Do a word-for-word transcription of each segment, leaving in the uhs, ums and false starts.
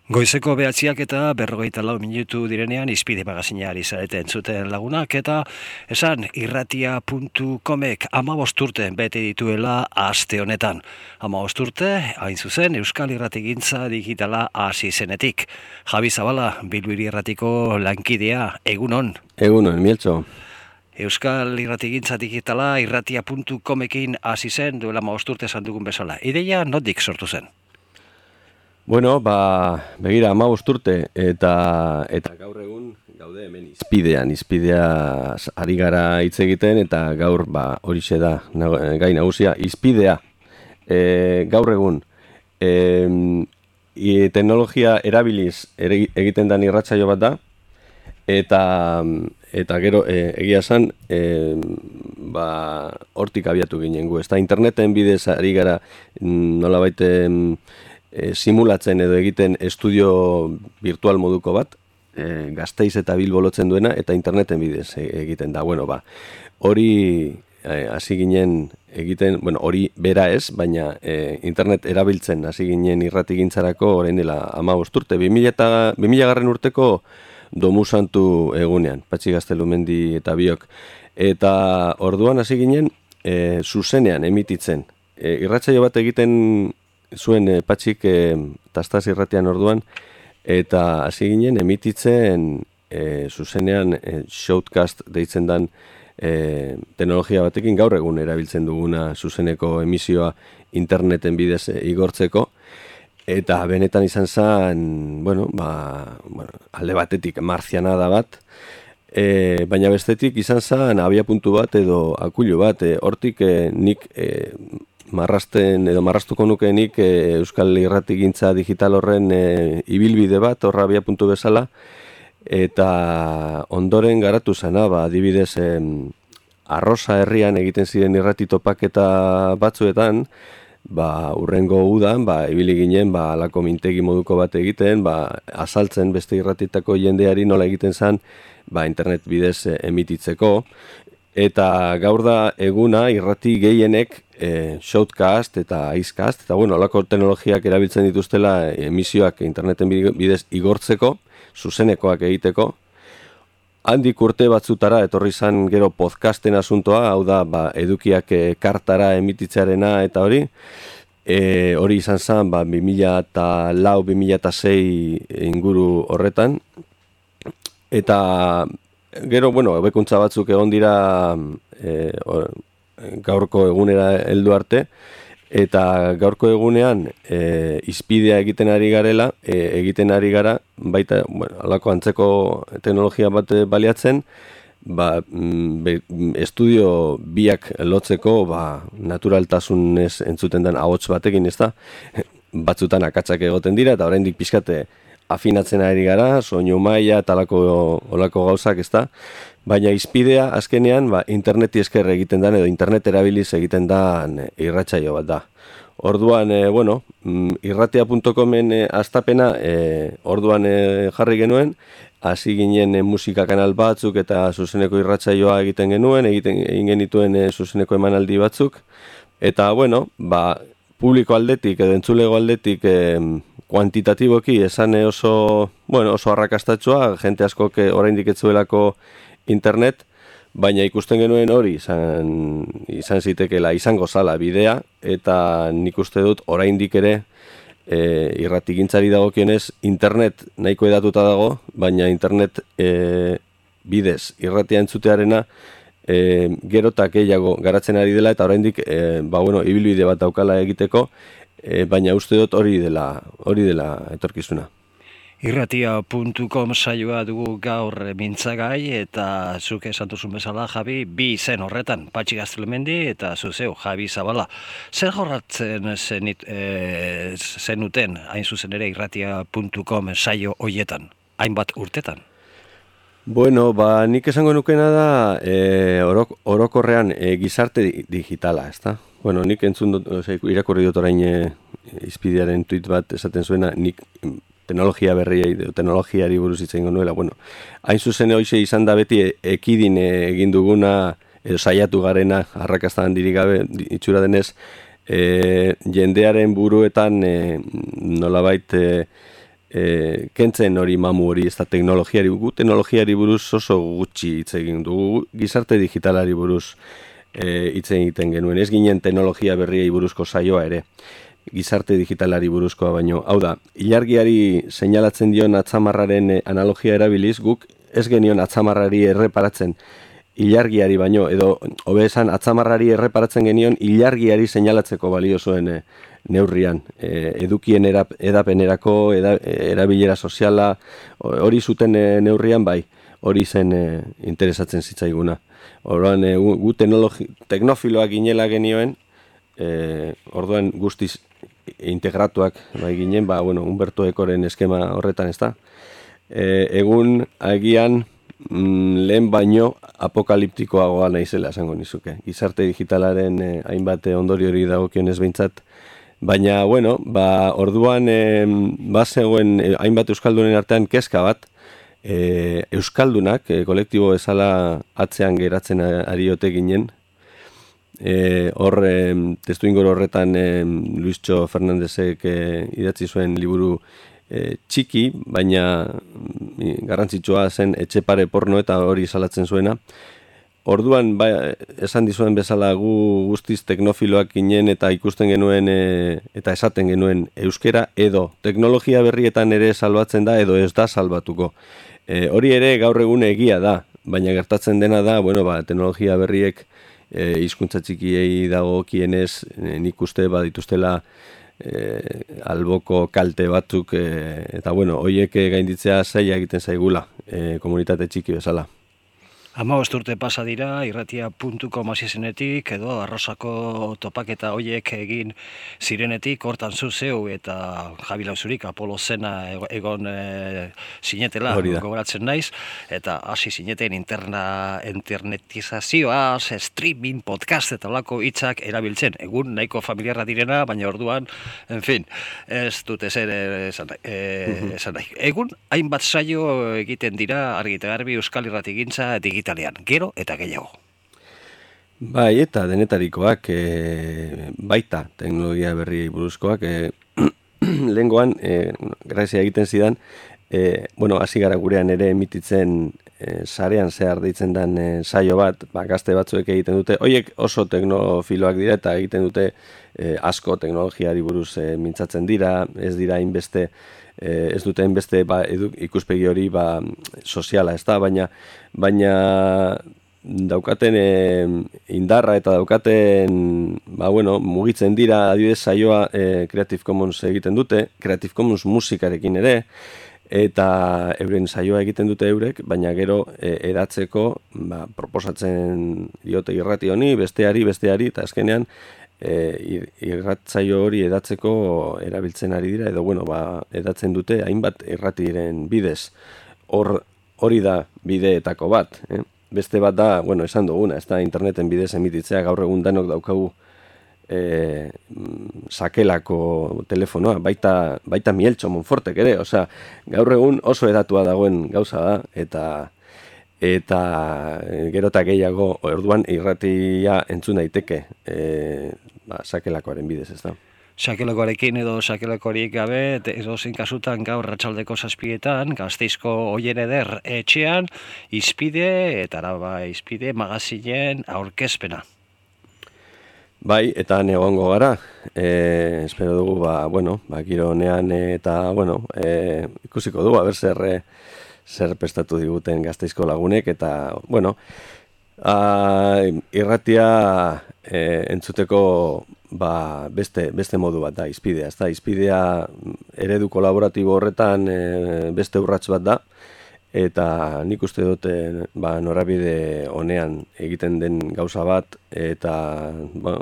Goizeko behatziak eta berrogeita lau minutu direnean izpide magazina ari zarete entzuten lagunak eta esan irratia puntu comek hamabost urte bete dituela aste honetan. hamabost urte, hain zuzen, Euskal Irratigintza digitala hasi zenetik. Javi Zabala, Bilbiri Irratiko lankidea, egunon. Egunon, Mieltxo. Euskal Irratigintza digitala irratia puntu comekin hasi zen duela hamabost urte esan dugun bezala. Ideia notik sortu zen? Bueno, ba, begira, hamabost urte eta eta gaur egun gaude hemen izpidean, izpidea ari gara hitz egiten eta gaur ba horixe da gai nagusia, izpidea. E, gaur egun e, e, teknologia erabiliz ere, egiten den irratsaio bat da eta eta gero e, egia esan e, ba hortik abiatu ginen gu, ezta interneten bidez ari gara nolabait E, simulatzen edo egiten estudio virtual moduko bat, e, Gasteiz eta Bilbo lotzen duena, eta interneten bidez e, egiten da. Bueno, ba, hori hasi e, ginen egiten, bueno, hori bera ez, baina e, internet erabiltzen hasi ginen irratigintzarako orain dela hamabost urte, bi mila garren urteko Domu Santu egunean, Patxi Gaztelumendi eta biok. Eta orduan hasi ginen e, zuzenean emititzen. E, irratsaio bat egiten zuen e, Patxik e, Tastaz irratian orduan, eta hasi ginen emititzen e, zuzenean e, shoutcast deitzen dan e, teknologia batekin gaur egun erabiltzen duguna zuzeneko emisioa interneten bidez e, igortzeko, eta benetan izan zen, bueno, ba, bueno, alde batetik marzianada bat, e, baina bestetik izan zen abiapuntu bat edo akulu bat, e, hortik e, nik e, marrasten edo marrastuko nukenik e, Euskal Irratigintza digital horren e, ibilbide bat, horra abia puntu bezala, eta ondoren garatu zena, ba, adibidez, e, Arrosa herrian egiten ziren irratitopaketa batzuetan, ba, urrengo udan, ba, ibili ginen, ba, alako mintegi moduko bat egiten, ba, azaltzen beste irratitako jendeari nola egiten zen, ba, internet bidez e, emititzeko, eta gaur da eguna irrati gehienek e, shoutcast eta icecast, eta bueno, alako teknologiak erabiltzen dituztela emisioak interneten bidez igortzeko, zuzenekoak egiteko. Handik urte batzutara etorri zan gero podcasten asuntoa, hau da ba, edukiak e, kartara emititzearena eta hori, e, hori izan zen ba, bi mila lau bi mila sei inguru horretan, eta gero, bueno, hobekuntza batzuk egon dira e, or, gaurko egunera heldu arte, eta gaurko egunean e, izpidea egiten ari garela, e, egiten ari gara, baita, bueno, alako antzeko teknologia bat baliatzen, ba, be, estudio biak lotzeko, ba, naturaltasunez entzuten den ahots batekin, ez da, batzutan akatsak egoten dira, eta oraindik pixkate afinatzen ari gara, soinu maila eta olako, olako gauzak, ez da, baina izpidea azkenean ba, interneti esker egiten dan edo internet erabiliz egiten dan irratsaio bat da. Orduan, e, bueno, irratia puntu comen e, astapena e, orduan e, jarri genuen, hasi ginen e, musika kanal batzuk eta zuzeneko irratsaioa egiten genuen, egiten egin genituen e, zuzeneko emanaldi batzuk, eta, bueno, ba, publiko aldetik edo entzulego aldetik e, kuantitatiboki esan oso, bueno, oso arrakastatsua, jente askok oraindik ez zuelako internet, baina ikusten genuen hori izan, izan zitekeela, izango zala bidea, eta nik uste dut oraindik ere e, irratigintzari dagokionez internet nahiko edatuta dago, baina internet e, bidez irratia entzutearena e, gerotak gehiago garatzen ari dela, eta oraindik e, ba, bueno, ibilbide bat daukala egiteko, e, baina uste dut hori dela, hori dela etorkizuna. irratia puntu com saioa dugu gaur mintzagai eta zuk esan duzun bezala, Javi, bi izen horretan, Patxi Gaztelumendi eta zuzeu, Javi Zabala. Zer jorratzen zenit, e, zenuten, hain zuzen ere, irratia puntu com saio hoietan, hainbat urtetan? Bueno, ba, nik esango nukena da e, orok, orokorrean e, gizarte digitala, ezta? Bueno, nik entzun dut, ose, irakurri dut orain e, izpidearen tweet bat esaten zuena, nik teknologia berriei, teknologiari buruz hitz egingo nuela, bueno, hain zuzen hoize izan da beti ekidin egin duguna, edo saiatu garena, arrakasta handirik gabe itxura denez, e, jendearen buruetan e, nolabait e, e, kentzen hori mamu hori, ez da teknologiari, gu teknologiari buruz oso gutxi hitz egin dugu, gizarte digitalari buruz e, hitz egiten genuen, ez ginen teknologia berriei buruzko saioa ere, gizarte digitalari buruzkoa baino. Hau da, ilargiari seinalatzen dion atzamarraren analogia erabiliz, guk ez genion atzamarrari erreparatzen ilargiari baino, edo hobe esan atzamarrari erreparatzen genion ilargiari seinalatzeko balio zuen e, neurrian, e, edukien erap, edapenerako, eda, erabilera soziala, hori zuten e, neurrian bai, hori zen e, interesatzen zitzaiguna. Orduan, e, gu teknofiloak ginela genioen, e, orduan guztiz integratuak bai ginen, ba, bueno, Humberto Ecoren eskema horretan ez da. E, egun, agian, mm, lehen baino apokaliptikoagoa naizela esango nizuke. Gizarte digitalaren e, hainbat ondorio hori dagokionez behintzat, baina, bueno, ba, orduan e, bazegoen e, hainbat euskaldunen artean kezka bat, e, euskaldunak, e, kolektibo bezala atzean geratzen ariote ginen, e, hor e, testu ingoro horretan e, Luistxo Fernandezek e, idatzi zuen liburu e, txiki, baina e, garrantzitsua zen Etxepare porno eta hori salatzen zuena. Orduan, ba, esan dizuen bezala gu guztiz teknofiloak ginen eta ikusten genuen e, eta esaten genuen euskera edo teknologia berrietan ere salbatzen da edo ez da salbatuko. E, hori ere gaur egun egia da, baina gertatzen dena da, bueno, ba, teknologia berriek e, hizkuntza txikiei dagokienez e, nik uste badituztela e, alboko kalte batzuk e, eta bueno, horiek gainditzea zaila egiten zaigula e, komunitate txiki bezala. Hamabost urte pasa dira, irratia puntu com hasi zenetik, edo arrosako topaketa hoiek egin zirenetik, hortan zu zeu eta Javi Lauzurik Apolo zena egon e, sinetela, gogoratzen naiz, eta hasi sineten interna, internetizazioa, streaming, podcast eta olako hitzak erabiltzen. Egun nahiko familiarra direna, baina orduan, en fin, ez dut ezer esan nahi. E, esan nahi. Egun, hainbat saio egiten dira, argi eta garbi Euskal Irratigintza digitalean, gero eta gehiago. Bai, eta denetarikoak e, baita teknologia berri buruzkoak e, lehengoan, e, grazia egiten zidan, e, bueno, hasi gara gurean ere emititzen e, sarean zehar deitzen den e, saio bat, ba, gazte batzuek egiten dute, hoiek oso teknofiloak dira eta egiten dute e, asko teknologiari buruz e, mintzatzen dira, ez dira hainbeste Eh, ez duten beste ba, edu, ikuspegi hori ba, soziala, ez da, baina, baina daukaten e, indarra eta daukaten ba, bueno, mugitzen dira, adibidez saioa e, Creative Commons egiten dute, Creative Commons musikarekin ere, eta euren saioa egiten dute eurek, baina gero e, edatzeko ba, proposatzen diote irrati honi, besteari, besteari, eta azkenean E, irratzaio hori edatzeko erabiltzen ari dira, edo bueno, ba, edatzen dute hainbat irratiren bidez. Hor, hori da bideetako bat. Eh? Beste bat da, bueno, esan duguna, ez da interneten bidez emititzea, gaur egun danok daukagu e, sakelako telefonoa, baita, baita Mieltxo Monfortek ere, osea, gaur egun oso edatua dagoen gauza da, eta eta gero eta gehiago orduan irratia entzun daiteke e, ba, sakelakoaren bidez, ez da. Sakelakoarekin edo sakelakoarik gabe, edo zein kasutan gaur arratsaldeko zazpietan, Gasteizko Oien Eder etxean, Izpide, eta araba Izpide magazinen aurkezpena. Bai, eta egongo gara, e, espero dugu, ba, bueno, ba, giro honean eta, bueno, e, ikusiko dugu, haber zer, e, zer prestatu diguten Gasteizko lagunek, eta, bueno, a, irratia e, entzuteko ba, beste, beste modu bat da, Izpidea. Ez da, Izpidea eredu kolaboratibo horretan e, beste urrats bat da, eta nik uste dute ba, norabide honean egiten den gauza bat, eta ba,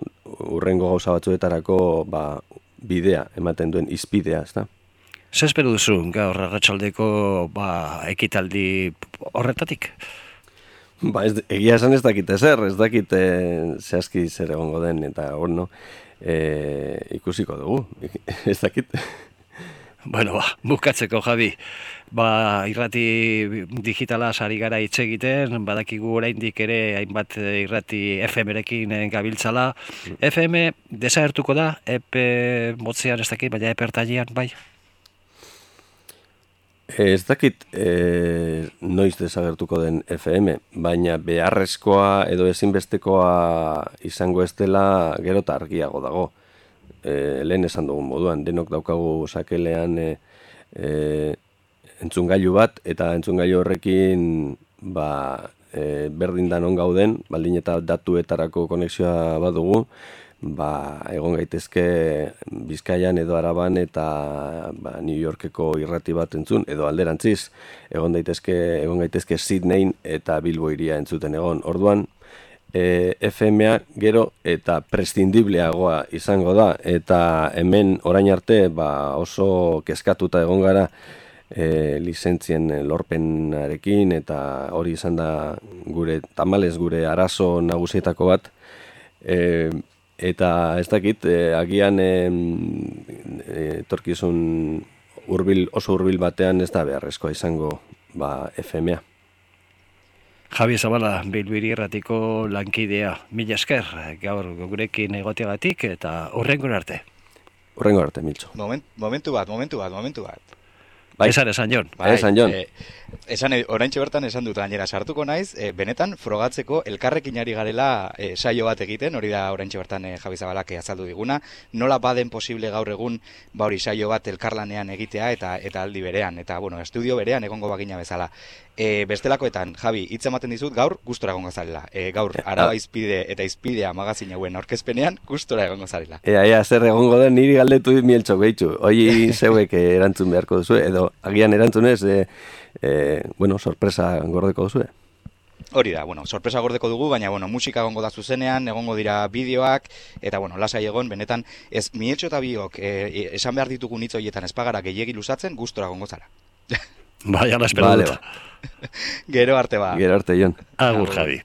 urrengo gauza batzuetarako ba, bidea ematen duen Izpidea, ez da. Zer espero duzu gaur arratsaldeko ba, ekitaldi horretatik? Ba, ez, egia esan ez dakit ezer, ez dakit e, zehazki zer egongo den, eta bueno, e, ikusiko dugu, ez dakit. Bueno, ba, bukatzeko, Javi, ba, irrati digitala ari gara hitz egiten, badakigu oraindik ere hainbat irrati F M-rekin gabiltzala. F M desagertuko da, epe motzean ez dakit, baina epe ertainean, bai? Ez dakit e, noiz desagertuko den F M, baina beharrezkoa edo ezinbestekoa izango ez dela gero eta argiago dago. E, lehen esan dugun moduan, denok daukagu sakelean e, e, entzungailu bat, eta entzungailu horrekin ba, e, berdin danon gauden, baldin eta datuetarako konexioa badugu, ba, egon gaitezke Bizkaian edo Araban eta ba, New Yorkeko irrati bat entzun, edo alderantziz, egon daitezke, egon gaitezke Sydneyn eta Bilbo iria entzuten egon. Orduan, e, F M a gero eta prescindibleagoa izango da, eta hemen orain arte ba, oso kezkatuta egon gara e, lizentzien lorpenarekin, eta hori izan da gure, tamalez gure arazo nagusietako bat, e, eta ez dakit, eh, agian eh, etorkizun hurbil, oso hurbil batean ez da beharrezkoa izango ba, F M a. Javi Zabala, Bilbiri Irratiko lankidea, mila esker, gaur gurekin egoteagatik eta hurrengo arte. Hurrengo arte, Miltxo. Moment, momentu bat, momentu bat, momentu bat. Bai. Esan, esan, Jon. Bai, esan, Jon. E, esan, oraintxe bertan esan dut, gainera sartuko naiz, e, benetan frogatzeko elkarrekin ari garela e, saio bat egiten, hori da oraintxe bertan e, Javi Zabalak azaldu diguna, nola baden posible gaur egun, ba hori saio bat elkarlanean egitea eta eta aldi berean, eta bueno, estudio berean egongo bagina bezala. E, bestelakoetan, Javi, hitz ematen dizut gaur gustora egongo zarela. E, gaur Araba Izpide eta Izpidea magazin hauen aurkezpenean gustora egongo zarela. Ea, ea, zer egongo den niri galdetu dit Mieltxo gehitxu. Hoi zeuek erantzun beharko duzu, edo agian erantzunez, e, e, bueno, sorpresa gordeko duzu. Hori da, bueno, sorpresa gordeko dugu, baina bueno, musika egongo da zuzenean, egongo dira bideoak, eta bueno, lasai egon, benetan, ez Mieltxo eta biok e, esan behar ditugun hitz horietan espagara gehiegi luzatzen, gustora egongo zara. Bai, ala espero dut. Gero arte ba. Gero arte, Jon. Agur, Javi.